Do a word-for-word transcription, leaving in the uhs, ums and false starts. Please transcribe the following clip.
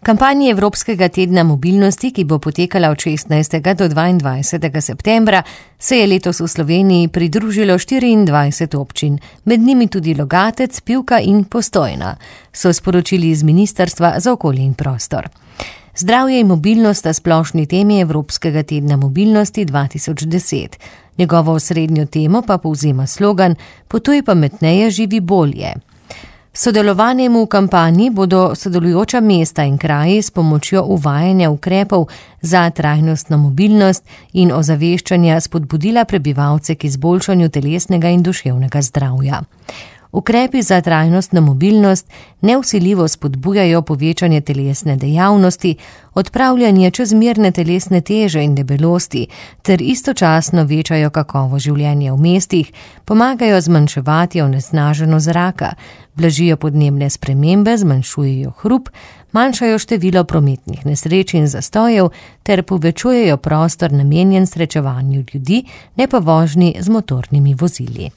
Kampanji Evropskega tedna mobilnosti, ki bo potekala od šestnajstega do dvaindvajsetega septembra, se je letos v Sloveniji pridružilo štiriindvajset občin, med njimi tudi Logatec, Pivka in Postojna, so sporočili iz Ministrstva za okolje in prostor. Zdravje in mobilnost sta splošni temi Evropskega tedna mobilnosti dva tisoč deset. Njegovo osrednjo temo pa povzema slogan Potuj pametneje, živi bolje. S sodelovanjem v kampanji bodo sodelujoča mesta in kraji s pomočjo uvajanja ukrepov za trajnostno mobilnost in ozaveščanja spodbudila prebivalce k izboljšanju telesnega in duševnega zdravja. Ukrepi za trajnostno mobilnost nevsiljivo spodbujajo povečanje telesne dejavnosti, odpravljanje čezmerne telesne teže in debelosti ter istočasno večajo kakovost življenja v mestih, pomagajo zmanjševati onesnaženost zraka, blažijo podnebne spremembe, zmanjšujejo hrup, manjšajo število prometnih nesreč in zastojev ter povečujejo prostor namenjen srečevanju ljudi, ne pa vožnji z motornimi vozili.